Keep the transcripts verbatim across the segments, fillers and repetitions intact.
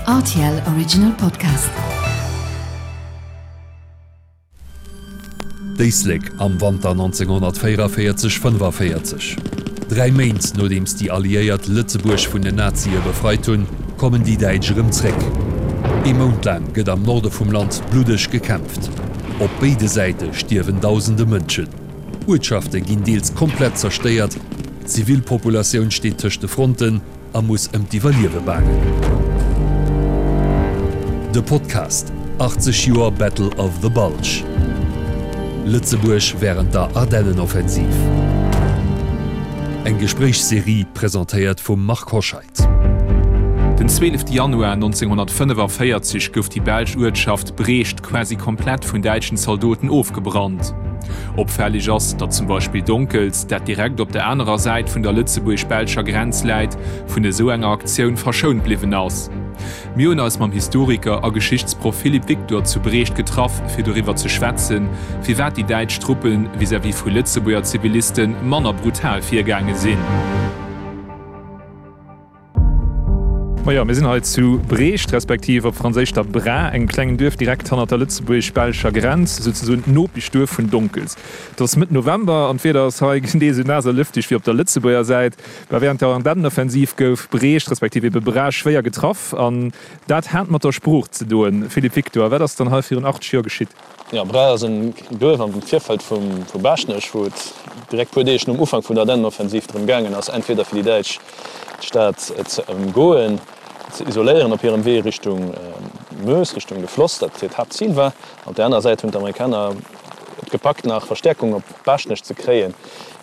R T L Original Podcast. D'Éislek am Wanter nonzénghonnertvéierevéierzeg fënnefaféierzeg. Dräi Méint nodeems déi Alliéiert Lëtzebuerg vun den Nazie befreit hunn, kommen déi Däitsch erëm zréck. Ee Mount laang gëtt am Norde vum Land bluddeg gekämpft. Op béide Säite stierwen dausende Mënschen. Uertschafte ginn deels komplett zerstéiert, d'Zivilpopulatioun steet tëscht de Fronten a muss ëm d'Iwwerliewe baangen. De Podcast, achtzeg Joer Battle of the Bulge. Lëtzebuerg wärend der Ardennenoffensiv. Eng Gespréichsserie presentéiert vum Marc Hoscheid. Den zwielefte Januar nonzénghonnertfënnefavéierzeg gouf déi belsch Uertschaft Brecht quasi komplett vun däitschen Zaldoten ofgebrannt. Opfälleg ass, datt zum Beispill Donkels, dat direkt op der anerer Säit vun der lëtzebuergesch-belscher Grenz läit, vun esou enger Aktioun verschount bliwwen ass. Mir hunn eis mam Historiker a Geschichtsproff Philippe Victor zu Brecht getraff, fir doriwwer ze schwätzen, firwat déi däitsch Truppe vis-à-vis vu Lëtzebuerger Ziviliste manner brutal virgaange sinn. Majo, mir sinn hei zu Brecht, respektiv op Franséisch der Bra, engem klengen Duerf direkt hannert der lëtzebuergesch-belscher Grenz, souzesoen d'Nopeschduerf vun Donkels. Et ass Mëtt November an d'Wieder ass hei genee esou naass a lëfteg wéi op der Lëtzebuerger Säit. Mä wärend der Ardennenoffensiv gouf Brecht, respektiv ebe Bra, schwéier getraff an dat hat mat der Sprooch ze doen. Philippe Victor, wat ass dann hei virun achtzeg Joer geschitt? Jo, Bra ass en Duerf am Virfeld vu Baaschtnech, wou et direkt puer Deeg nom Ufank vun der Ardennenoffensiv drëm gaangen ass, entweder fir déi Däitsch d'Stad ze ëmgoen, ze isoléieren op hirem Wee Richtung Meuse, Richtung de Floss, dat hiert Haaptzil war. Op där anerer Säit hunn d'Amerikaner et gepackt, nach Verstäerkung op Baaschtnech ze kréien,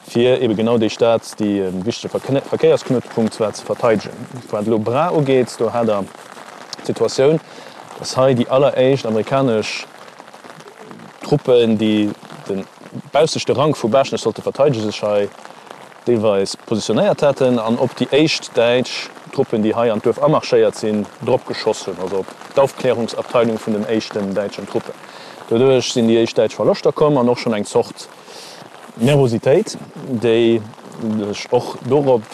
fir ebe genau déi Stad, déi e wichtege Verkéiersknuetpunkt war, ze verteidegen. Wat elo Bra ugeet, do hat Der d'Situatioun, dass hei déi alleréischt amerikanesch Truppen, déi de baussechte Rank vu Baaschtnech sollte verteidegen, sech hei deelweis positionéiert haten an op déi éischt däitsch Truppen, déi hei an d'Duerf amarschéiert sinn, drop geschoss hunn, also op d'Aufklärungsabteilung vun den éischten däitschen Truppen. Doduerch sinn déi éischt däitsch Verloschter komm an och schonn eng Zort Nervositéit, déi sech och dorop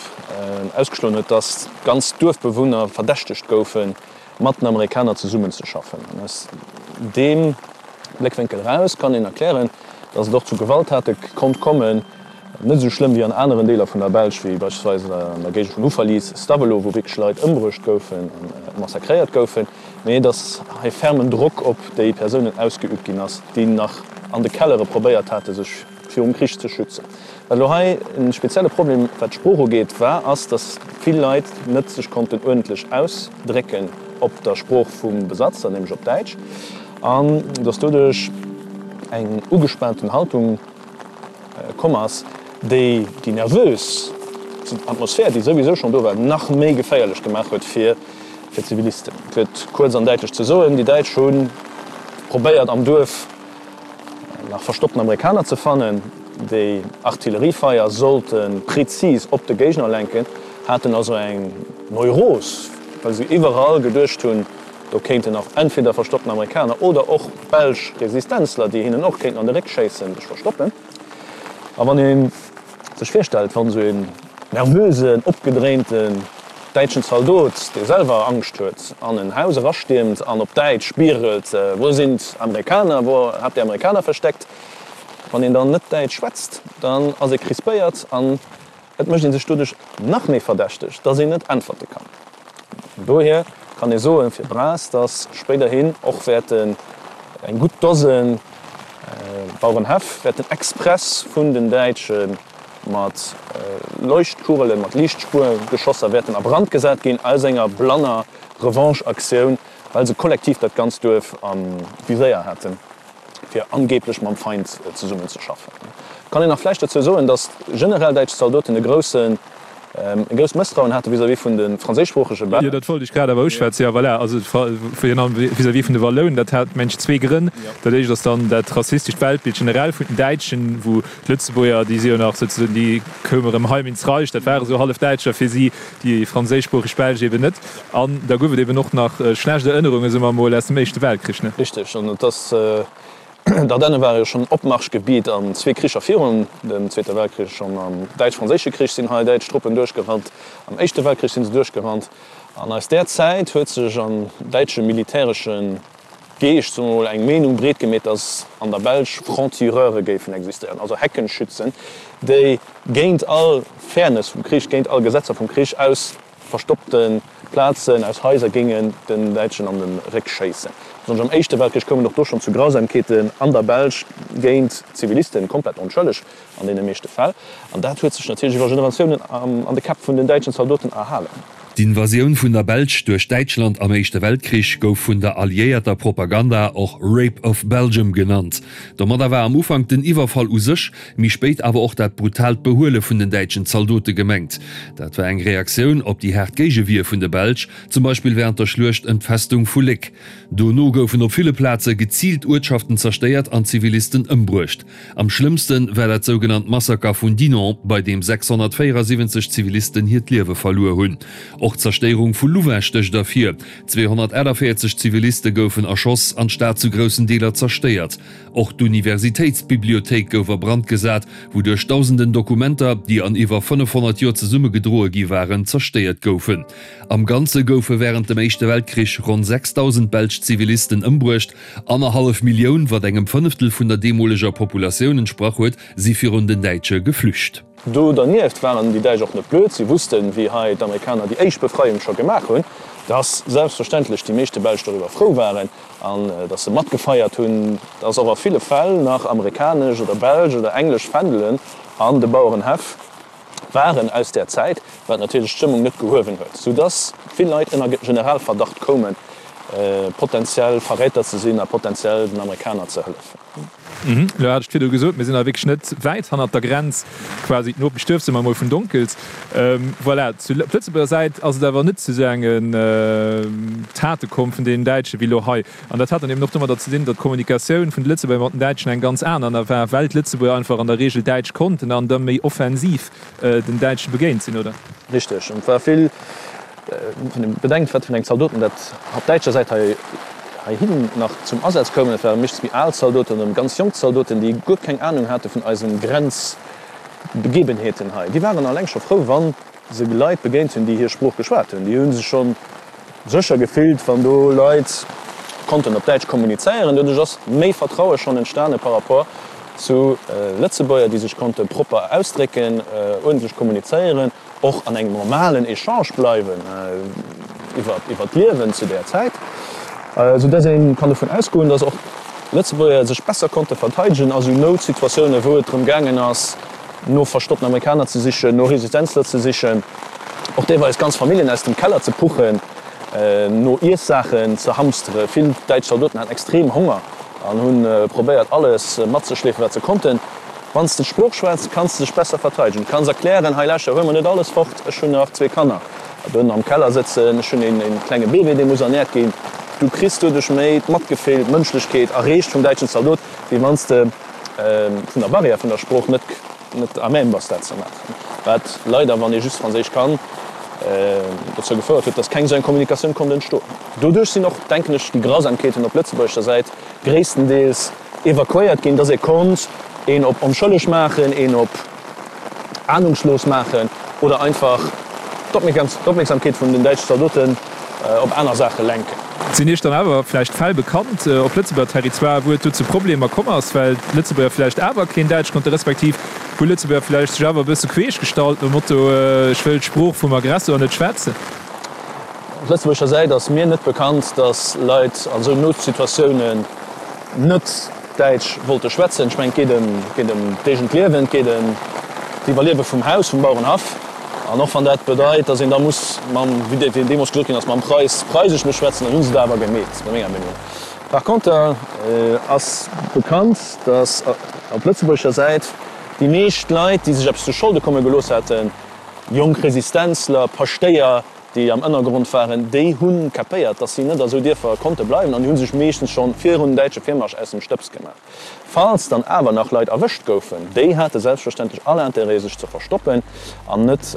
ausgeschloen huet, dass ganz Duerfbewunner verdächtegt goufen, mat den Amerikaner zesummenzeschaffen. An aus deem Bléckwénkel eraus kann een erklären, dass et och zu Gewalttate konnt kommen, net esou schlëmm wéi an aneren Deeler vun der Belsch, wéi beispillsweis an der Géigend vun Houffalize, Stavelot, wou wierklech Leit ëmbruecht goufen a massakréiert goufen, mee dass hei fermen Drock op déi Persounen ausgeüübt ginn ass, déi nach an de Kellere probéiert hate sech virum Krich ze schützen. Wat elo hei e spezielle Problem, wat d'Sprooch ugeet, war, ass, dass vill Leit net sech konnten uerdentlech ausdrécken op der Sprooch vum Besatzer, nämlech op Däitsch, an dass doduerch eng ugespaanten Haltung komm ass, déi déi nervös Atmosphär, déi souwisou schonn do war, nach méi geféierlech gemaach huet fir d'Zivilisten. Fir et kuerz an däitlech ze soen, Déi Däitsch hu probéiert am Duerf nach verstoppten Amerikaner ze fannen, déi Artilleriefeier sollte prezis op de Géigner lenken, haten also eng Neuros, well se iwwerall geduecht hunn, do kéinten nach entweder verstoppten Amerikaner oder och belsch Resistenzler, déi hinnen och kéinten an de Réck schéissen, sech verstoppen. A wann ee sech virstellt, wann esou een nervösen, opgedréinten däitschen Zaldot, dee selwer Angscht huet, an en Haus erastiermt an op Däitsch bierelt, Wo sind Amerikaner? Wo habt ihr Amerikaner versteckt? Wann een dann net Däitsch schwätzt, dann ass ee crispéiert an et mécht ee sech doduerch nach méi verdächteg, dass een net äntwerte kann. Dohier kann ee soen fir Braas, dass spéiderhin och wäerten eng gutt Dose Bauerenhäff wäerten express vun den Däitsche mat Leuchtkugelen, mat Liichtspuergeschosser wäerten a Brand gesat ginn, aus enger blanner Revanche-Aktioun, well se kollektiv dat ganzt Duerf am Viséier haten, fir angeblech mam Feind zesummenzeschaffen. Kann een nach vläicht dozou soen, datt generell däitsch Zaldoten e groussen e grousst Mësstrauen hate vis-à-vis vun de franséischsproochege Belsch. Jo, dat wollt ech grad awer uschwätzen. Jo, voilà, also virun allem vis-à-vis vun de Wallounen, dat hat, mengen ech, zwee Grënn. Dat éischt ass dann dat rassistescht Weltbild generell vun den Däitschen, wou d'Lëtzebuerger, déi si jo nach souzesoen, déi koume erëm heim ins Reich, dat ware sou hallef Däitscher fir si, déi franséischsproocheg Belsch eben net. An da gouf et eben och nach schlecht Erënnerungen, soe mer emol, aus dem Éischte Weltkrich, ne? Richteg, an et ass D'Ardenne ware jo schonn Opmarschgebiet an zwee Kricher virun dem Zweete Weltkrich. Schonn am Däitsch-Franséische Krich sinn hei däitsch Truppen duerchgerannt, am Éischte Weltkrich si se duerchgerannt. An aus där Zäit huet sech am däitsche militäresche Geescht, soe mer mol, eng Meenung breet gemeet, datt an der Belsch Franc-tireure géifen existéieren, also Heckenschützen, déi géint all Fairness vum Krich, géint all Gesetzer vum Krich aus verstoppte Plazen, aus Haiser géingen den Däitschen an de Réck schéissen. Besonnesch am Éischte Weltkrich koum et och do schonn zu Grausamkeeten an der Belsch géint Zivilisten, komplett onschëlleg an deene meeschte Fäll. An dat huet sech natierlech iwwer Generatiounen an de Käpp vun den däitschen Zaldoten erhalen. D'Invasioun vun der Belsch duerch Däitschland am Éischte Weltkrich gouf vun der alliéierter Propaganda och Rape of Belgium genannt. Domadder war am Ufank den Iwwerfall u sech, méi spéit awer och dat brutaalt Behuele vun den däitschen Zaldote gemengt. Dat war eng Reaktioun op déi haart Géigewier vun de Belsch, zum Beispill wärend der Schluecht ëm d'Festung vu Léck. Dono goufen op ville Plaze geziilt Uertschaften zerstéiert an Zivilisten ëmbruecht. Am schlëmmste war dat sougenannt Massaker vun Dinant, bei deem sechshonnertvéierasiwwenzeg Zivilisten hiert Liewe verluer hunn. Och d'Zerstéierung vu Louvain stécht ervir, zweehonnertaachtavéierzeg Ziviliste goufen erschoss an d'Stad zu groussen Deeler zerstéiert. Och d'Universitéitsbibliothéik gouf a Brand gesat, wouduerch dausenden Dokumenter, déi an iwwer fënnefhonnert Joer zesummegedroe gi waren, zerstéiert goufen. Am Ganze goufe wärend dem Éischte Weltkrich ronn sechsdausend belsch Zivilisten ëmbruecht. Annerhallef Millioun, wat engem Fënneftel vun der deemoleger Populatioun entsprach huet, si virun den Däitsche geflücht. Do dernieft waren déi Däitsch och net blöd, si wussten, wéi hei d'Amerikaner déi éischt Befreiung scho gemaach hunn, dass selbstverständlech déi meeschte Belsch doriwwer frou waren an dass se matgefeiert hunn, dass och a ville Fäll nach amerikanesch oder belsch oder englesch Fändelen an de Bauerenhäff waren aus där Zäit, wat natierlech d'Stëmmung net gehuewen huet, soudass vill Leit ënner Generalverdacht koumen, potentiell Verräter ze sinn a potentiell den Amerikaner ze hëllefen. Elo hat ech virdru gesot, mir sinn awer wierklech net wäit hannert der Grenz, quasi d'Nopeschduerf, soe mer emol, vun Donkels. Voilà, zu op Lëtzebuerger Säit ass et awer net zu esou engen Tate komm vun deenen Däitsche wéi elo hei. An dat hat dann eben och domadder ze dinn, datt d'Kommunikatioun vun de Lëtzebuerger mat den Däitschen eng ganz aner war, well d'Lëtzebuerger einfach an der Regel Däitsch konnten an da méi offensiv den Däitsche begéint sinn, oder? Richteg. Et war vill, wann ee bedenkt, wat fir eng Zaldoten dat op däitscher Säit hei heihin nach zum Asaz koumen. Et ware meeschtens méi al Zaldoten oder ganz jonk Zaldoten, déi guer keng Anung hate vun eisen Grenzbegebenheeten hei. Déi waren alleng scho frou, wa se Leit begéint hunn, déi hir Sprooch geschwat hunn. Déi hu sech scho sécher gefillt, wann do Leit konnten op Däitsch kommunizéieren. Doduerch ass méi Vertraue schonn entstane par rapport zu Lëtzebuerger, déi sech konnte propper ausdrécken, uerdentlech kommunizéieren, och an engem normalen Echange bleiwen iwwer d'Liewen zu där Zäit, sou dass ee kann dovun ausgoen, dass och d'Lëtzebuerger sech besser konnte verteidegen a sou Noutsituatiounen, wou et drëm gaangen ass, no verstoppten Amerikaner ze sichen, no Resistenzler ze sichen, och deelweis ganz Familljen aus dem Keller ze puchen, no Iessaachen ze hamstere. Vill däitsch Zaldoten haten extrem Honger an hu probéiert, alles matzeschleefen, wat se konnten. Wann s de d'Sprooch schwätz, kanns de dech besser verteidegen. Du kanns erklären, Hei lauschter, huel mer net alles fort, ech hunn nach zwee Kanner donnen am Keller sëtzen, ech hunn een klenge Bébé, dee muss ernäert ginn. Du kriss doduerch méi d'Matgefill, d'Mënschlechkeet erreecht vum däitschen Zaldot, wéi wann s de vun der Barrière vun der Sprooch net net à même bass dat ze maachen. Wat leider, wann ee just Franséisch kann, dozou gefouert huet, datt keng esou eng Kommunikatioun konnt entstoen. Doduerch sinn och, denken ech, déi Grausamkeeten op lëtzebuergescher Säit gréisstendeels evakuéiert ginn, datt ee konnt een op onschëlleg maachen, een op ahnungslos maachen oder einfach d'Opmierksamkeet vun den däitschen Zaldoten op aner Saache lenken. Sinn Iech dann awer vläicht Fäll bekannt op Lëtzebuerger Territoire, wou et do zu Problemer komm ass, well d'Lëtzebuerger vläicht awer keen Däitsch konnten, respektiv wou Lëtzebuerger vläicht sech awer e bësse queesch gestallt nom Motto, ech wëll d'Sprooch vum Aggressor net schwätzen? Op lëtzebuergescher Säit ass mir net bekannt, datt Leit an esou Noutsituatiounen net Däitsch wollte schwätzen. Ech mengen, et geet ëm, et geet ëm d'eegent Liewen, et geet ëm d'Iwwerliewe vum Haus, vum Bauerenhaff. An och wann dat bedeit, datt een da muss mam, wéi deemools gesot ginn ass, mam Preis Preisesch muss schwätzen, dann hu se dat awer gemeet, no menger Meenung. Par conter ass bekannt, datt op lëtzebuergescher Säit déi meescht Leit, déi sech eppes zu Scholde komme gelooss haten, jonk Resistenzler, Paschtéier, déi am Ënnergrond waren, déi hu kapéiert, datt si net a sou Dierfer konnte bleiwen an déi hu sech meeschtens scho virun däitsche Virmarsch aus dem Stëbs gemaach. Falls dann awer nach Leit erwëscht goufen, déi hate selbstverständlech all Interêt sech ze verstoppen an net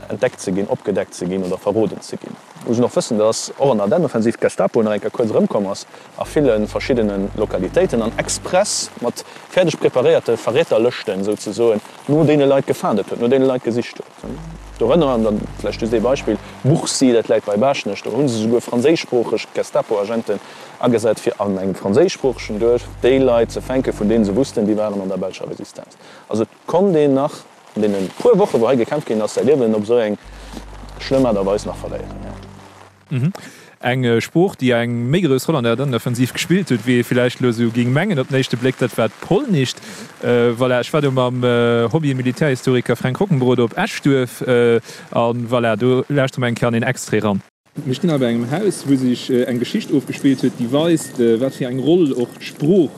entdeckt ze ginn, opgedeckt ze ginn oder verroden ze ginn. Muss een och wëssen, dass och an der Ardennenoffensiv d'Gestapo nach eng Kéier kuerz erëmkomm ass a ville verschiddene Lokalitéiten an express mat fäerdeg preparéierte Verräterlëschten souzesoen no deene Leit gefaandet huet, no deene Leit gesicht huet. Dorënner, an dann vläicht just ee Beispill, Bourcy, dat läit bei Baaschtnech, do hu se souguer franséischsproocheg Gestapo-Agenten agesat, fir an engem franséischsproochegen Duerf déi Leit ze fänken, vun deene se wussten, déi waren an der belscher Resistenz. Also et konnt een nach an deene puer Wochen, wou hei gekämpft ginn ass, säi Liewen op esou eng schlëmm Aart a Weis nach verléieren, jo. Eng Sprooch, déi eng méi grouss Roll an der Ardennenoffensiv gespillt huet, wéi ee villäicht elo esou géing mengen op den éischte Bléck, dat war d'Polnischt. Voilà, ech war do mam Hobby-Militärhistoriker Fränk Rockenbrod op Eschduerf a voilà, do lauschtere mer eng Kéier an een Extrait eran. Mir stinn hei bei engem Haus, wou sech eng Geschicht ofgespillt huet, déi weist, wat fir eng Roll och d'Sprooch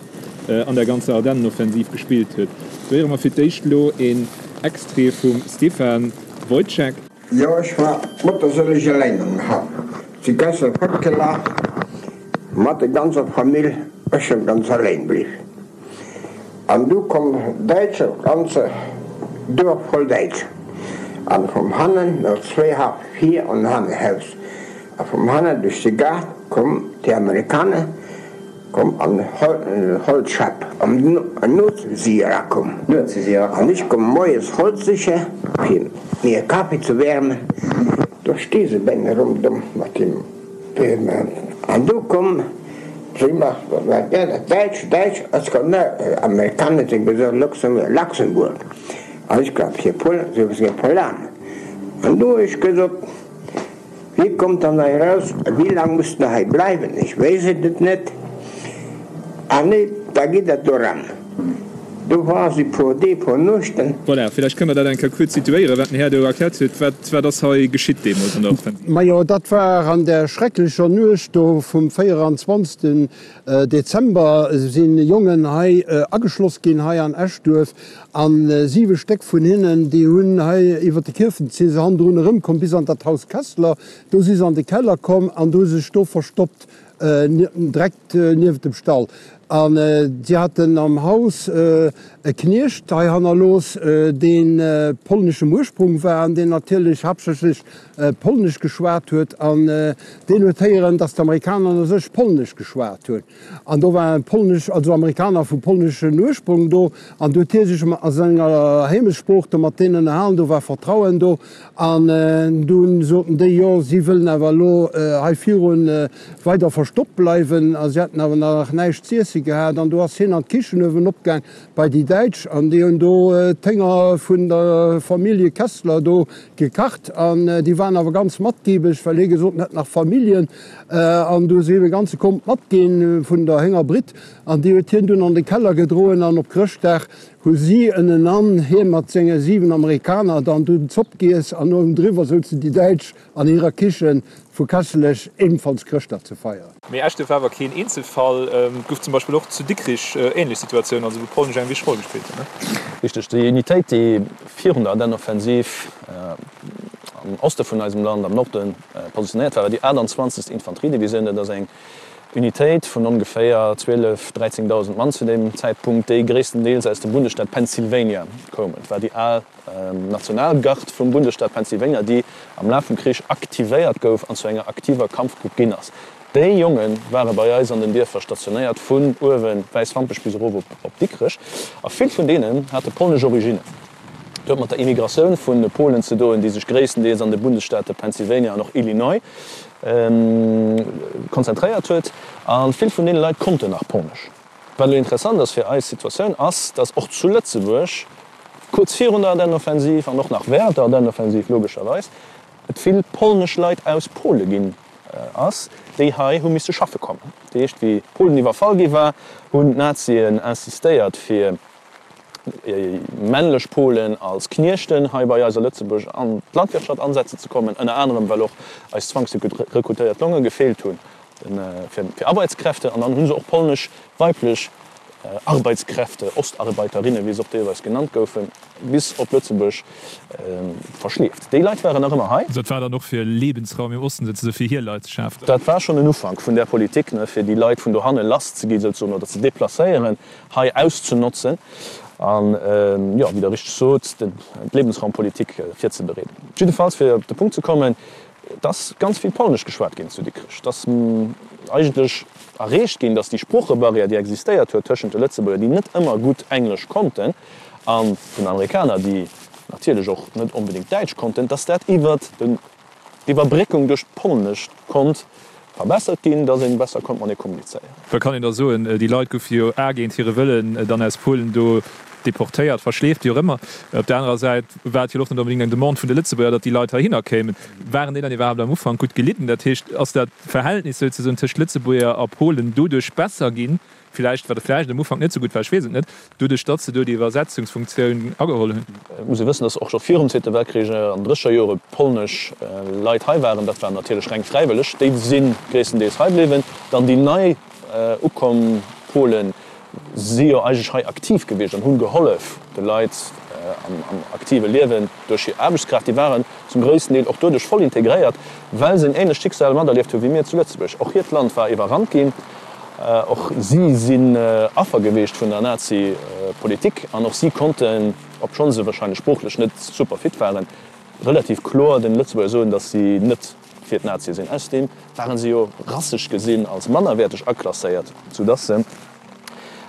an der ganzer Ardennenoffensiv gespillt huet. Do héiere mer fir d'éischt elo een Extrait vum Stéphane Wojtschak. Jo, ech war mutterséileg eleng am Haff. Si gestern fortgelaf mat der ganzer Famill, ech sin ganz eleng bliw. An du komm Däitscher, ganze Duerf voll Däitscher. An vum hannen, no zwee Haff vir an hannen Haus, a vum hannen duerch de Gaart komm déi Amerikaner. Komm an Holz Schepp. An nuets si si erakomm. An ech komm moies Holz siche fir mir e Kaffi ze wäermen. Do sti se bei mir ronderëm mat dem An du komm si mat Däitsch, Däitsch, ech komm net, Amerikaner sinn gesot Luxembourg, Luxembourg. An ech glaub fir Pol, si si Polanen. An du hu ech gesot. Wéi kommt dann hei eraus? Wéi laang musst der hei bleiwen? Ech weess et net. Ah nee, da geet dat do eran. Do war si puer Deeg, puer Nuechten. Voilà, villäicht kënne mer dat eng Kéier kuerz situéieren, wat den Här do erkläert huet. Wat, wat ass hei geschitt deemools an der Offensiv? Majo, dat war an där schrecklecher Nuecht do vum véieranzwanzegsten Dezember si Jongen hei ageschloss ginn hei an Eschduerf. A siwe Stéck vun hinnen, déi hunn hei iwwer de Kierfent, si se hannendrun erëmkomm bis an dat Haus Kessler. Do si se an de Keller komm an do hu se sech do verstoppt, direkt nieft dem Stall. A si haten am Haus e Kniecht hei hannerlooss, dee polneschem Ursprung war an deen natierlech haaptsächlech Polnesch geschwat huet. An deen huet héieren, datt d'Amerikaner u sech Polnesch geschwat hunn. An do waren polnesch, also Amerikaner vu polneschen Ursprung do, an do huet hie sech a senger Heemechtssprooch do mat deenen ënnerhalen, do war Vertrauen do. An dunn soten déi, jo, si wëllen awer elo hei virun weider verstoppt bleiwen. A si hätten awer nach näischt z'iesse gehat. An do ass hien an d'Kichen uewen opgaang bei déi Däitsch, an déi hunn do d'Hénger vun der Famillje Kessler do gekacht. An déi waren awer ganz matgiebeg, well hie gesot en hätt nach Familljen. An du hu se him e ganze Komp matginn vun der Héngerbritt, an déi huet hien dunn an de Keller gedroen. An op Chrëschtdag hu si ënnenan, hie mat senge siwen Amerikaner, dann dunn Zopp giess, an uewendriwwer souzen déi Däitsch an hirer Kichen vu Kesselech ebenfalls Chrëschtdag ze feieren. Mee Eschduerf war awer keen Eenzelfall. Et gouf zum Beispill och zu Dikrich ähnlech Situatiounen, also wou Polnesch eng wichteg Roll gespillt huet, ne? Richteg, déi Unitéit, déi virun der Ardennenoffensiv am Oste vun eisem Land, am Norden, positionéiert war, war déi achttanzwanzegst Infanteriedivisioun. Dat ass eng Unitéit vun ongeféier zwielef, dräizéngdausend Mann zu deem Zäitpunkt, déi gréisstendeels aus dem Bundesstaat Pennsylvania koumen. Et war déi al Nationalgard vum Bundesstaat Pennsylvania, déi am Laf vum Krich aktivéiert gouf an zu enger aktiver Kampfgrupp ginn ass. Déi Jonge ware bei eis an den Dierfer stationéiert, vun uewe Wäiswampech bis erof op Dikrech, a vill vun deenen hate polnesch Originnen. Dat huet mat der Immigratioun vu Polen ze doen, déi sech gréisstendeels an de Bundesstaate Pennsylvania an och Illinois konzentréiert huet. A vill vun deene Leit konnten nach Polnesch. Wat elo interessant ass fir eis Situatioun, ass, datt och zu Lëtzebuerg kuerz virun der Ardennenoffensiv an och nach wärend der Ardennenoffensiv logescherweis, et vill polnesch Leit aus Pole ginn ass, déi hei hu misse schaffe kommen. Dat heescht, wéi Polen iwwerfall gi war, hunn d'Nazien insistéiert, fir männlech Polen als Kniechten hei bei eis a Lëtzebuerg an d'Landwirtschaft ansetzen ze kommen, ënner anerem well och eis zwangsrekrutéiert Longe gefeelt hunn fir Arbeitskräfte. An dann hu se och polnesch weiblech Arbeitskräfte, Ostarbeiterinnen, wéi se och deelweis genannt goufen, bis op Lëtzebuerg verschleeft. Déi Leit waren nach ëmmer hei. Dat war dann och fir Lebensraum im Osten souzesoe fir hir Leit ze schafen? Dat war schonn en Ufank vun där Politik, fir déi Leit vun dohanne lass ze gi souzesoen oder ze deplacéieren, hei auszenotzen an, jo, wéi Der richteg sot, d'Lebensraumpolitik virzebereeden. Jiddefalls, fir op de Punkt ze kommen, Et ass ganz vill Polnesch geschwat ginn zu Dikrech. Et ass eigentlech erreecht ginn, datt déi Sproochebarrière, déi existéiert huet tëschent de Lëtzebuerger, déi net ëmmer gutt Englesch konnten, an den Amerikaner, déi natierlech och net onbedéngt Däitsch konnten, datt dat iwwert d'Iwwerbréckung duerch d'Polnescht konnt verbessert ginn, datt ee besser konnt matenee kommunizéieren. Wat kann een da soen? Déi Leit goufe jo a géint hire Wëllen dann aus Polen do deportéiert, verschleeft, wéi och ëmmer. Op der anerer Säit war et jo och net onbedéngt eng Demande vun de Lëtzebuerger, datt déi Leit heihinner kéimen. Waren déi dann iwwerhaapt am Ufank gutt gelidden? Dat heescht, ass dat Verhältnis souzesoen tëscht Lëtzebuerger a Polen doduerch besser ginn, villäicht, wat vläicht am Ufank net esou gutt war, ech weess et net, doduerch datt se do déi Iwwersetzungsfunktioun ageholl hunn? Et muss ee wëssen, datt och scho virum Zweete Weltkrich an drécher Jore polnesch Leit hei waren. Dat waren natierlech reng Fräiwëlleg. Déi si gréisstendeels hei bliwwen. Dann déi nei ukomm Polen si jo eigentlech hei aktiv gewiescht an hunn gehollef de Leit am aktive Liewen duerch hir Aarbechtskraaft. Déi waren zum gréissten Deel och doduerch voll integréiert, well se en ähnlecht Schicksal materlieft hu wéi mir zu Lëtzebuerg. Och hiert Land war iwwerrannt ginn, och si sinn Affer gewiescht vun der Nazi-Politik an och si konnten, obschonn se wahrscheinlech sproochlech net super fit waren, relativ kloer den Lëtzebuerger soen, datt si net fir d'Nazie sinn. Ausserdeem waren se jo rassesch gesinn als mannerwäerteg aklasséiert, soudatt se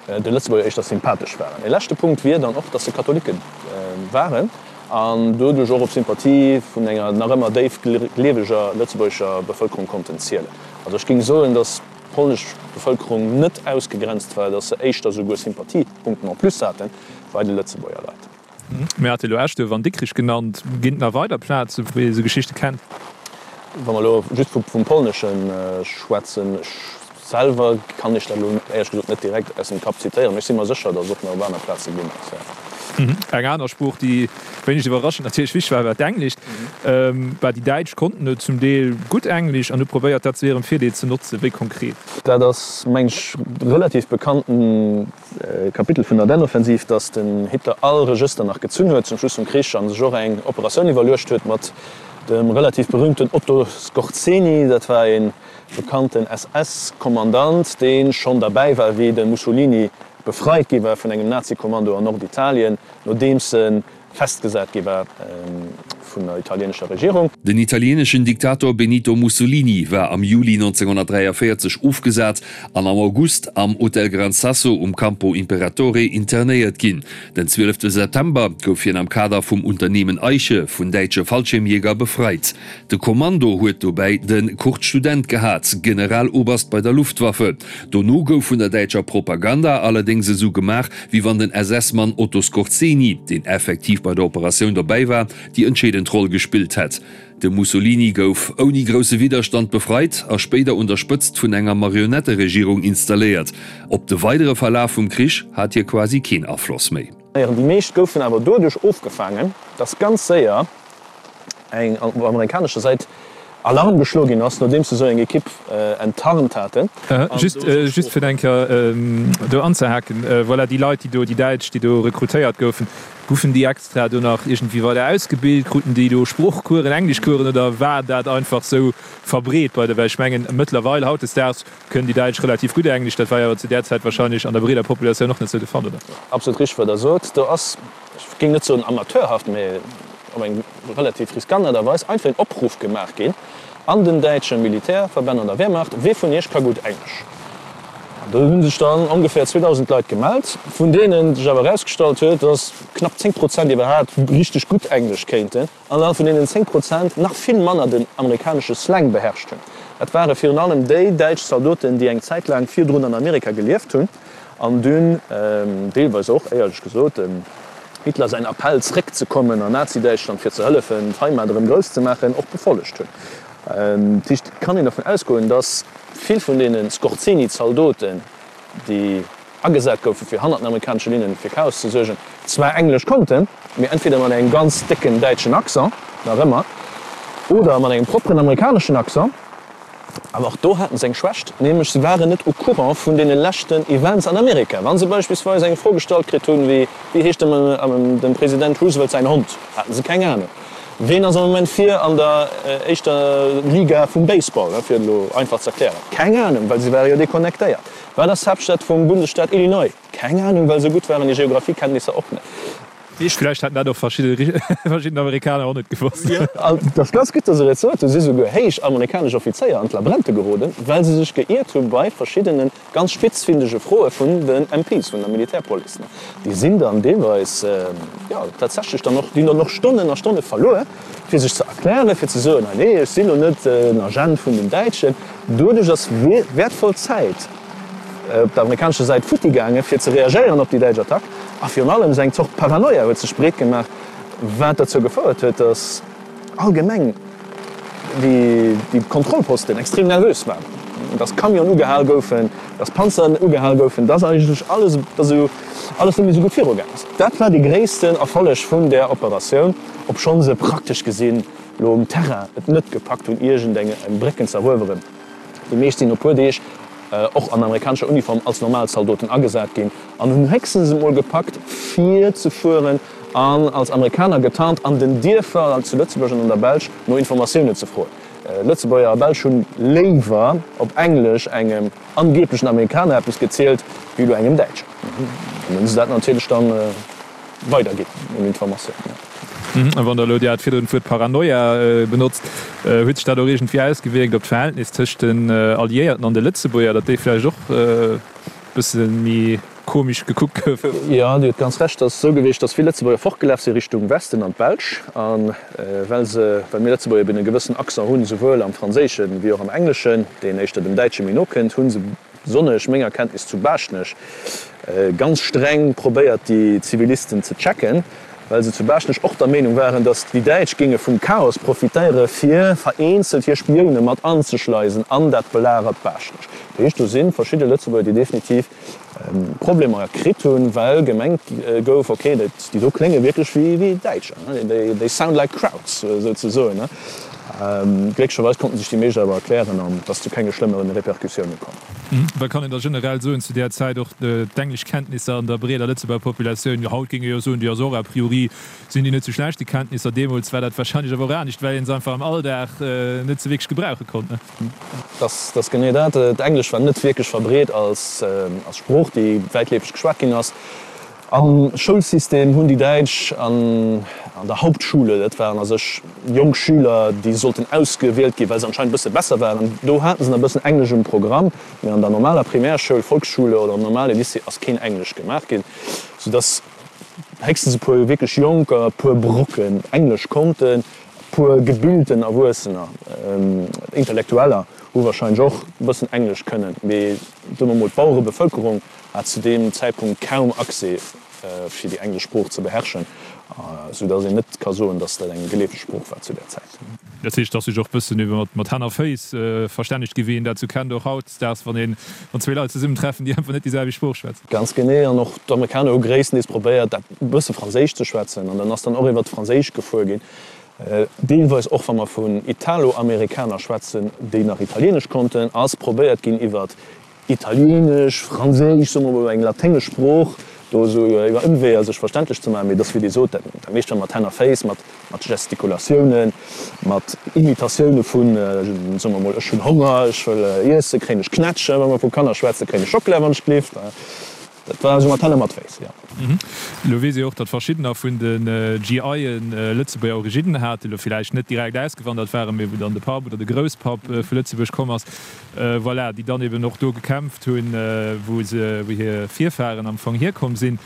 de Lëtzebuerger éischter sympathesch waren. E leschte Punkt wier dann och, datt se Katholike waren an doduerch och op Sympathie vun enger nach ëmmer déif gleeweger lëtzebuergescher Bevëlkerung konnten zielen. Also ech géing soen, datt d'polnesch Bevëlkerung net ausgegrenzt war, datt se éischter souguer Sympathiepunkten en plus hate bei de Lëtzebuerger Leit. Mir hate elo Eschduerf an Dikrich genannt. Ginn et nach weider Plazen, wou ee sou Geschichte kennt? Wa mer elo just vum Polnesche schwätzen, ech selwer kann Iech dat elo éierlech gesot net direkt aus dem Kapp zitéieren, mee ech si mer sécher, datt et och nach op aner Plaze ginn ass, jo. Eng aner Sprooch, déi wéineg iwwerraschend natierlech wichteg war, war d'Englescht. Bah, déi Däitsch konnten jo zum Deel gutt Englesch an hu probéiert, dat zu hirem Virdeel ze notzen. Wéi konkret? Dat ass, meng ech, relativ bekannten Kapitel vun der Ardennenoffensiv, datt den Hitler all Regëster nach gezunn huet zum Schluss vum Krich a sech och eng Operatioun iwwerluecht huet mat dem relativ berühmten Otto Skorzeny. Dat war ee bekannten S S-Kommandant, dee schonn derbäi war, wéi de Mussolini befreit gi war vun engem Nazi-Kommando an Norditalien, nodeems e festgesat gi war vun der italienescher Regierung. Den italieneschen Diktator Benito Mussolini war am Juli neunzehnhundertdräiavéierzeg ofgesat an am August am Hotel Gran Sasso um Campo Imperatore internéiert ginn. Den zwielefte September gouf hien am Kader vum Unternehmen Eiche vun däitsche Fallschirmjäger befreit. De Kommando huet dobäi de Kurt Student gehat, Generaloberst bei der Luftwaffe. Dono gouf vun der däitscher Propaganda allerdéngs esou gemaach, wéi wann den S S Mann Otto Skorzeny, deen effektiv bei der Operatioun dobäi war, déi entscheedend Roll gespillt hätt. De Mussolini gouf ouni grousse Widderstand befreit a spéider un der Spëtzt vun enger Marionetteregierung installéiert. Op de weidere Verlaf vum Krich hat hie quasi keen Afloss méi. Déi meescht goufen awer doduerch ofgefaangen, datt ganz séier eng op amerikanescher Säit Alarm geschloe ginn ass, nodeems se esou eng Ekipp enttarnt haten. Just, just fir eng Kéier do anzehaken, voilà, déi Leit, déi do, déi Däitsch, déi do rekrutéiert goufen, goufen déi extra do nach iergendwéi weider ausgebilt? Kruten déi do Sproochcoursen, Engleschcoursen oder war dat einfach sou verbreet bei de, well ech mengen, mëttlerweil, hautdesdaags, kënnen déi Däitsch relativ gutt Englesch, dat war jo awer zu där Zäit wahrscheinlech an der breeder Populatioun och net sou de Fall, oder? Absolut richteg, wat Der sot. Do ass, ech géing net soen amateurhaft, mä op eng relativ riskant Aart a Weis einfach een Opruff gemaach ginn an den däitsche Militärverbänn an der Wehrmacht, Wee vun iech ka gutt Englesch? An do hu sech dann ongeféier zweedausend Leit gemellt, vun deenen sech awer erausgestallt huet, datt knapp zéng Prozent iwwerhaapt richteg gutt Englesch kéinten an dann vun deenen zéng Prozent nach vill manner den amerikanesche Slang beherrscht hunn. Dat ware virun allem déi däitsch Zaldoten, déi eng Zäit laang virdrun an Amerika gelieft hunn an dunn deelweis och, éierlech gesot, dem Hitler säin Appell zréckzekommen an Nazi-Däitschland fir ze hëllefen d'Heimat erëm grouss ze maachen, och befollegt hunn. Dat heescht, et kann een dervun ausgoen, datt vill vun deene Skorzeny-Zaldoten, déi agesat goufen, fir hannert den amerikanesche Linnen fir Chaos ze suergen, zwar Englesch konnten, mee entweder mat engem ganz décken däitschen Accent, nach ëmmer, oder mat engem propperen amerikaneschen Accent. Awer och do haten se eng Schwächt, nämlech se waren net au courant vun deene leschten Events an Amerika. Wa se beispillsweis eng Fro gestallt kritt hunn wéi, Wéi heescht dem dem President Roosevelt säin Hond? haten se keng Anung. Ween ass am Moment vir an der éischter Liga vum Baseball, fir et elo einfach ze erklären? Keng Anung, well se ware jo deconnectéiert. Wat ass d'Haaptstad vum Bundesstaat Illinois? Keng Anung, well esou gutt waren déi Geographiekenntnisser och net. Vläicht hätten dat och verschidden Amerikaner och net gewosst. Et ass ganz gutt, dass Der et sot. Do si souguer héich amerikanesch Offizéier an d'Labrente geroden, well se sech geiert hu bei verschiddene ganz spitzfindege Froe vun den M Ps, vun der Militärpolice. Déi sinn dann deelweis, jo, tatsächlech dann och, déi hunn dann och Stonnen a Stonne verluer, fir sech ze erklären, fir ze soen, Nee, ech sinn elo net en Agent vun den Däitschen. Doduerch ass wäertvoll Zäit op der amerikanescher Säit futti gaangen, fir ze reagéieren op déi däitsch Attack. A virun allem esou eng Zort Paranoia huet sech breet gemaach, wat dozou gefouert huet, datt allgemeng déi Kontrollposten extrem nervös waren, datt Camionen ugehal goufen, datt Panzeren ugehal goufen, datt eigentlech alles, datt esou alles net méi esou gutt virugaang ass. Dat war dee gréissten Erfolleg vun där Operatioun, obschonn se praktesch gesinn elo um Terrain et net gepackt hunn, iergendeng Brécken ze erueweren. Déi meescht sinn no puer Deeg och an amerikanescher Uniform als normal Zaldoten agesat ginn an hunn héchstens emol gepackt fir ze fueren an als Amerikaner getarnt an den Dierfer zu Lëtzebuerg an an der Belsch no Informatiounen ze froen. Lëtzebuerger a Belsch hunn léiwer op Englesch engem angeblechen Amerikaner eppes gezielt wéi elo engem Däitschen. An hunn se dat natierlech dann weiderginn un Informatiounen. A wann Der elo, Dir hat virdrun d'Wuert Paranoia benotzt, huet sech dat och iergendwéi ausgewierkt op d'Verhältnis tëscht den Alliéierten an de Lëtzebuerger, datt déi vläicht och e bësse méi komesch gekuckt goufen? Jo, Dir hutt ganz Recht. Et ass esou gewiescht, datt vill Lëtzebuerger fortgelaf si Richtung Westen an d'Belsch. A well se, well mir Lëtzebuerger eben e gewëssen Accent hunn, souwuel am Franséischen wéi och am Engleschen, deen éischter dem Däitsche méi no kënnt, hu se besonnesch menger Kenntnis zu Baaschtnech, ganz streng probéiert déi Zivilisten ze checken, well se zu Baaschtnech och der Meenung waren, datt déi Däitsch géinge vum Chaos profitéiere fir vereenzelt hir Spioune mat anzeschleisen an dat belagert Baaschtnech. Dat heescht, do si verschidde Lëtzebuerger, déi definitiv Problemer kritt hunn, well gemengt gouf, ok, déi do klénge wierklech wéi Däitscher, they sound like Krauts, souzesoen. Glécklecherweis konnten sech déi meescht awer erklären an et ass zu kenge schlëmmere Repercussioune komm. Wat kann een da generell soen zu där Zäit, och d'Engleschkenntnisser an der breeder Lëtzebuerger Populatioun? Jo, haut géing ee jo soen, déi ass och a priori sinn déi net sou schlecht, déi Kenntnisser. Deemools war dat warscheinlech awer och anescht, well ee se einfach am Alldag net sou wierklech gebrauche konnt, ne? Dat ass genee dat. D'Englesch war net wierklech verbreet als Sprooch, déi wäitleefeg geschwat ginn ass. Am Schoulsystem hunn déi Däitsch an der Hauptschule, dat waren a sech jonk Schüler, déi sollten ausgewielt ginn, well se anscheinend e bësse besser waren, do hate se nach e bëssen Englesch um Programm, mee an der normaler Primärschoul, Volksschule oder am normale Lycée ass keen Englesch gemaach ginn, soudass héchstens e puer wierklech Jonker e puer Brocken Englesch konnten. E puer gebilten Erwuessener, Intellektueller hu warscheinlech och e bëssen Englesch kënnen, mee soe mer mol d'Bauerebevëlkerung hat zu deem Zäitpunkt kaum Accès fir déi englesch Sprooch ze beherrschen, sou datt een net ka soen, datt dat eng geleefeg Sprooch war zu där Zäit. Dat heescht, et ass sech och bëssen iwwer mat Hänn a Féiss verstännegt gi wéi een dat sou kennt och hautdesdaags, wann een, wann zwee Leit zesummentreffen, déi einfach net déi selwecht Sprooch schwätzen. Ganz genee. An och d'Amerikaner hu gréisstendeels probéiert, dat e bësse Franséisch ze schwätzen. An dann ass dann och iwwer d'Franséisch gefuer ginn. Deelweis och wa mer vun Italo-Amerikaner schwätzen, déi nach Italieenesch konnten, ass probéiert ginn iwwer Italieenesch, Franséisch, soe mer mol eng laténgesch Sprooch, do esou iwwer Ëmweeër sech verständlech ze maachen. Mee et ass wéi Dir sot, dat meescht war mat Hänn a Féiss, mat Gestikulatiounen, mat Imitatioune vun, soe mer mol, ech hunn Honger, ech wëll iessen, kréien ech Knätschen, wa mer vu Kanner schwätzen, kréien ech Schockela wann ech gleeft. Dat war esou mat Hänn a mat Féiss, jo. Elo weess ee och, datt verschiddener vun de G I en Lëtzebuerger Originnen haten, elo villäicht net direkt ausgewandert waren, mee wou dann de Papp oder de Grousspapp vu Lëtzebuerg komm ass, voilà, déi dann eben och do gekämpft hunn, wou se, wou hir Virfahren am Fong hierkomm sinn.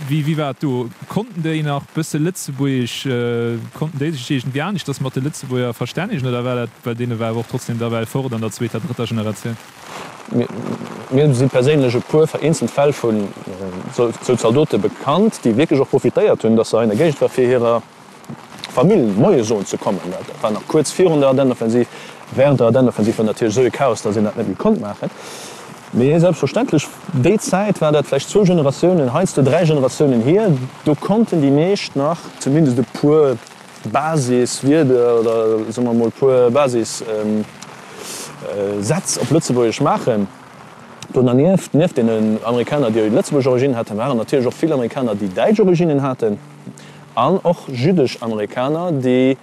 Wéi, wéi war et do? Konnten déi nach bësse Lëtzebuergesch? Konnten déi sech iergendwéi aneschters mat de Lëtzebuerger verstännegen oder war dat, well deene war awer och trotzdem da well fort an der zweeter, drëtter Generatioun? Mir si perséinlech e puer vereenzelt Fäll vun esou Zaldote bekannt, déi wierklech och profitéiert hunn, datt se hei an der Géigend war, fir hirer Famill Moie soen ze kommen. Dat war nach kuerz virun der Ardennenoffensiv. Wärend der Ardennenoffensiv war natierlech esou e Chaos, datt een dat net méi konnt maachen. Mee selbstverständlech, déi Zäit war dat vläicht zwou Generatiounen, heiansdo dräi Generatiounen hier, do konnten déi meescht nach zumindest e puer Basiswierder oder soe mer emol e puer Basis. Sätz op Lëtzebuergesch maachen. Do dernieft, nieft deenen Amerikaner, déi lëtzebuergesch Originnen haten, waren natierlech och vill Amerikaner, déi däitsch Originnen haten an och jüddesch Amerikaner, déi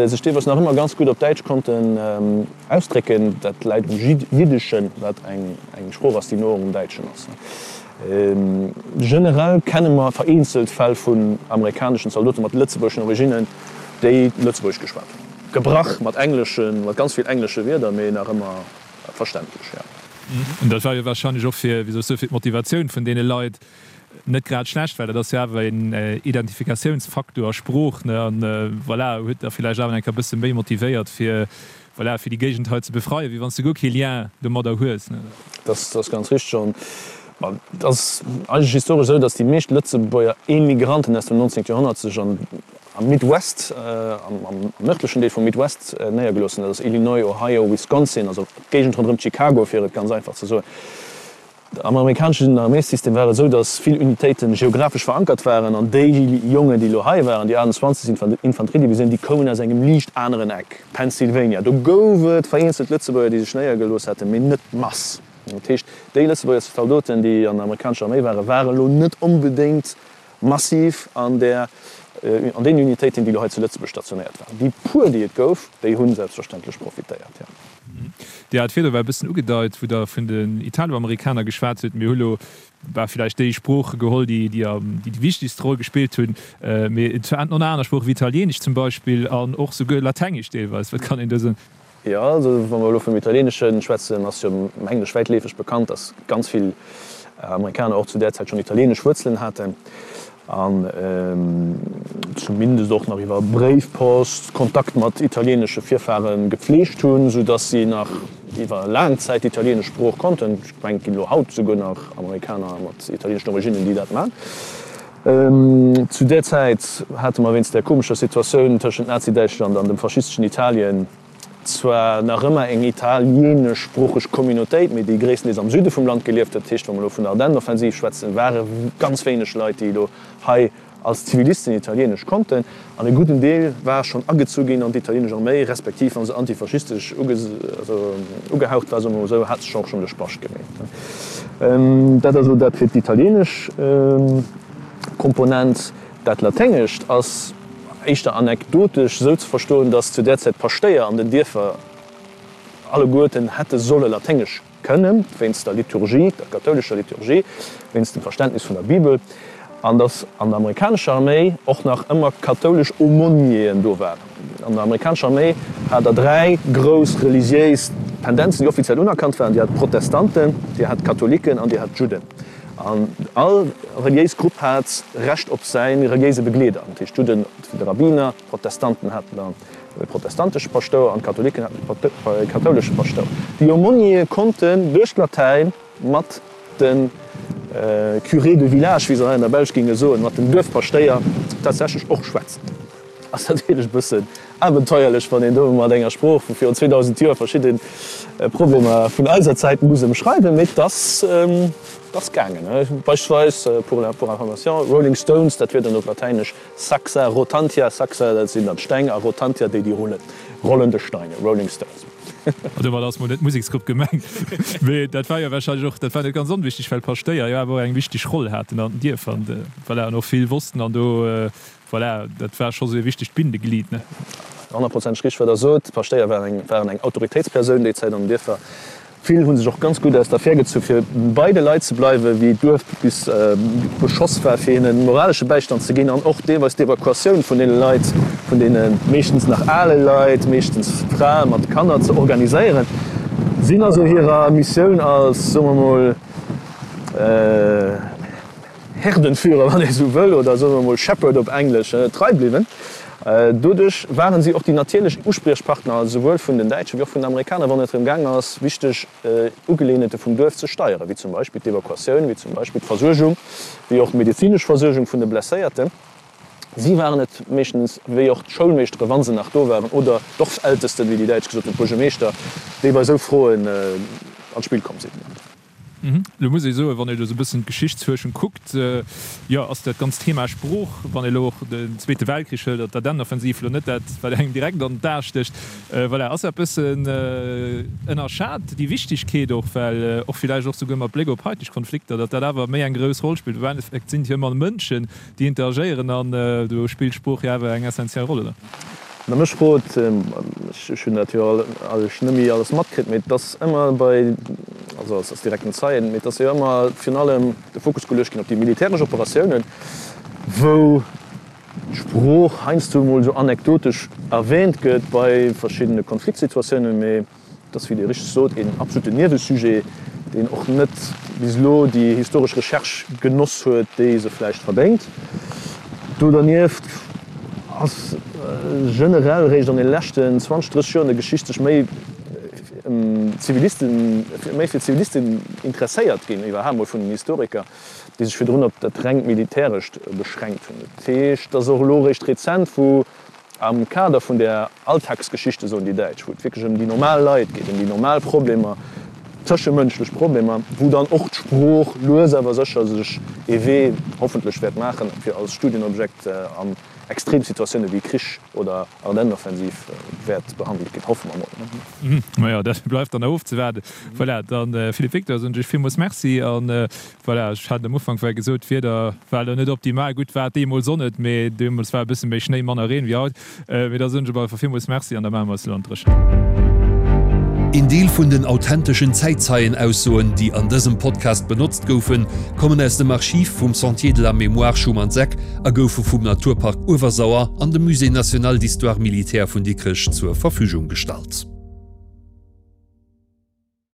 sech deelweis nach ëmmer ganz gutt op Däitsch konnten ausdrécken. Dat läit um Jiddeschen, wat eng Sprooch ass, déi no um Däitschen ass. Generell kenne mer vereenzelt Fäll vun amerikaneschen Zaldote mat lëtzebuergeschen Originnen, déi Lëtzebuergesch geschwat hunn. Gebrach mat engleschen, mat ganz vill englesche Wierder, mee nach ëmmer verständlech, jo. An dat war jo warscheinlech och fir, wéi soll ech soen, fir d'Motivatioun vun deene Leit net grad schlecht, well dat ass jo awer een Identifikatiounsfaktor a Sprooch, ne, an voilà, huet da villäicht awer eng Kéier e bësse méi motivéiert fir, voilà, fir déi Géigend hei ze befreien, wéi wann s de guer kee Lien domadder hues, ne. Dat ass ganz richteg. An et ass eigentlech historesch esou, datt déi meescht Lëtzebuerger Emigranten aus dem neunzehnten Joerhonnert sech an am Midwest, am nërdlechen Deel vum Midwest néiergelooss hunn, dat ass Illinois, Ohio, Wisconsin, also d'Géigend ronderëm Chicago, fir et ganz einfach ze soen. Am amerikaneschen Arméissystem war et esou, datt vill Unitéite geographesch verankert waren an déi Jongen, déi elo hei waren, déi achtundzwanzeg. Infanteriedivisioun, déi koumen aus engem liicht aneren Eck, Pennsylvania. Do gouf et vereenzelt Lëtzebuerger, déi sech néiergelooss haten, mee net d'Mass. Dat heescht, déi Lëtzebuerger Zaldoten, déi an der amerikanescher Arméi waren, waren elo net onbedéngt massiv an där, an deenen Unitéiten, déi elo hei zu Lëtzebuerg stationéiert waren. Déi puer, déi et gouf, déi hu selbstverständlech profitéiert, jo. Dir hat virdru war e bëssen ugedeit, wou Der vun den Italoamerikaner geschwat hutt. Mir hu lo war villäicht déi Sprooche geholl, déi déi déi wichtegst Roll gespillt hunn, mee et waren och nach aner Sproochen, wéi Italieenesch zum Beispill an och souguer Latengesch deelweis. Wat kann een do soen? Jo, also wa mer elo vum Italieenesche schwätzen, ass jo mengen ech wäitleefeg bekannt, datt ganz vill Amerikaner och zu där Zäit schonn italieenesch Wuerzelen haten an zumindest och nach iwwer Bréifpost Kontakt mat italieenesche Virfare gepfleegt hunn, sou datt si nach iwwer laang Zäit d'italieenesch Sprooch konnten. Ech mengen, et ginn elo haut souguer nach Amerikaner mat italieeneschen Originnen, déi dat man. Zu där Zäit hate mer wéinst där komescher Situatioun tëschent Nazi-Däitschland an dem faschisteschen Italien zwar nach ëmmer eng italieeneschsproocheg Communautéit, mee déi gréisstendeels am Süde vum Land gelieft huet. Dat heescht, wa mer elo vun der Ardennenoffensiv schwätzen, ware ganz wéineg Leit, déi elo hei als Zivilisten Italieenesch konnten. An e gudden Deel war schonn agezu ginn an d'italieenesch Arméi, respektiv wa se antifaschistesch ugehaucht war, soe mer emol esou, hat sech och schonn de Spascht gemeet. Dat ass elo dat fir d'italieenesch Komponent. Dat Laténgescht ass éischter anekdotesch esou ze verstoen, datt zu där Zäit d'Paschtéier an den Dierfer alleguerten hätte solle Laténgesch kënnen, wéinst der Liturgie, der kathoulescher Liturgie, wéinst dem Verständnis vun der Bibel, an datt an der amerikanescher Arméi och nach ëmmer kathoulesch Aumônieren do waren. An der amerikanescher Arméi hat der dräi grouss religiéis Tendenzen, déi offiziell unerkannt waren, Dir hat d'Protestanten, Dir hat d'Katholiken an Dir hat d'Judden. An all reliéis Grupp hat Recht op säi reliéise Begleeder. Dat heescht, d'Judden fir de Rabbiner, d'Protestanten haten dann e protestantesche Paschtouer an d'Katholiken haten e kathoulesche Paschtouer. Déi Aumôniere konnten duerch d'Latäin mat de Curés de village, wéi se hei an der Belsch géinge soen, mat den Duerfpaschtéier tatsächlech och schwätzen. Ass natierlech e bëssen abenteuerlech, wann een do mat enger Sprooch vu virun zweedausend Joer verschidde Problemer vun eiser Zäit muss ëmschreiwen, mee et ass, et ass gaangen. Beispillsweis, pour la, pour information, Rolling Stones, dat wier dann op Latäinesch Saxa rotantia, Saxa, dat sinn dann d'Steng, a rotantia, déi, déi rullen, rollende Steine, Rolling Stones. An domat ass mol net d'Museksgrupp gemengt, mee dat war jo warscheinlech och, dat war net ganz onwichtig, well d'Paschtéier jo awer och eng wichteg Roll haten an den Dierfer an, voilà, an och vill wossten an do, Voilà, dat war scho sou e wichtegt Bindeglied, ne? Honnertprozenteg richteg, wat Der sot. D'Paschtéier waren eng, waren eng Autoritéitspersoun déi Zäit an den Dierfer. Vill hu sech och ganz gutt aus der Affär gezu fir bei de Leit ze bleiwen, wéi d'Duerf bis beschoss war, fir hinnen moralesche Bäistand ze ginn an och deelweis d'Evakuatioun vun deene Leit, vun deene meeschtens nach ale Leit, meeschtens Frae mat Kanner, ze organiséieren. Sinn also hirer Missioun als, soe mer mol, Herdenführer, wann ee sou wëll, oder soe mer emol Shepherd op Englesch, trei bliwwen. Doduerch waren si och déi natierlech Uspriechpartner esouwuel vun den Däitschen wéi och vun den Amerikaner, wann et drëm gaang ass, wichteg Ugeleeënheete vum Duerf ze steieren, wéi zum Beispill d'Evakuatioun, wéi zum Beispill d'Versuergung, wéi och d'medezinesch Versuergung vun de Blesséierten. Si waren et meeschtens, wéi och d'Schoulmeeschtere wa se nach do waren, oder d'Dorfältesten, wéi déi Däitsch gesot hunn, d'Buergermeeschter, déi bei esou Froen an d'Spill komm sinn. Elo muss ee soen, wann ee elo esou e bëssen d'Geschichtsfuerschung kuckt, jo, ass dat ganzt Thema Sprooch, wann ee elo och den Zweete Weltkrich hëlt, d'Ardennenoffensiv, elo net dat, wat engem direkt an d'A stécht. Voilà, ass dat e bëssen ënnerschat, déi Wichtigkeet och, well och villäicht och souguer mat Bléck op haiteg Konflikter, datt dat awer méi eng grouss Roll spillt. Am Endeffekt sinn et jo ëmmer Mënschen, déi interagéieren an do spillt d'Sprooch jo awer eng essentiell Roll, oder? Wann Der mech frot, ech hunn dat jo alt net méi alles matkritt, mee et ass ëmmer bei, also als direkten Zeien, mee et ass jo ëmmer virun allem de Fokus geluecht ginn op déi militäresch Operatiounen, wou d'Sprooch heiansdo emol esou anekdotesch erwähnt gëtt bei verschiddene Konfliktsituatiounen, mee Et ass, wéi Dir richteg sot, een absoluten Niewesujet, deen och net bis elo déi historesch Recherche genoss huet, déi se vläicht verdéngt. Do dernieft ass generell réischt an de leschten zwanzeg, drësseg Joer an der Geschicht sech méi ëm Zivilisten, méi fir Zivilisten interesséiert ginn, iwwerhaapt mol vun den Historiker, déi sech virdrun op dat rengt Militärescht beschränkt hunn. Dat heescht, et ass och elo réischt rezent, wou Am Kader vun der Alltagsgeschichte, soen déi Däitsch, wou et wierklech ëm déi normal Leit geet, ëm déi normal Problemer, tëschemënschlech Problemer, wou dann och d'Sprooch lues awer sécher sech ee Wee hoffentlech wäert maachen, fir als Studienobjekt an Extremsituatioune wéi Krich oder Ardennenoffensiv wäert behandelt ginn, hoffe mer mol. Majo, dat bleift dann nach ofzewaarden. Voilà, dann Philippe Victor, soen ech iech villmools Merci an Voilà, ech hat am Ufank well gesot, d'Wieder war elo net optimal. Gutt, war et deemools och net, mee deemools war e bësse méi Schnéi, manner Reen wéi haut. Mee da soen ech op alle Fall villmools Merci an da maache mer eis elo an d'Dréchent. Een Deel vun den authenteschen Zäitzeienaussoen, déi an dësem Podcast benotzt goufen, kommen aus dem Archiv vum Sentier de la Mémoire Schumanns-Eck a goufe vum Naturpark Uewersauer an dem Musée national d'histoire militaire vun Dikrech zur Verfügung gestallt.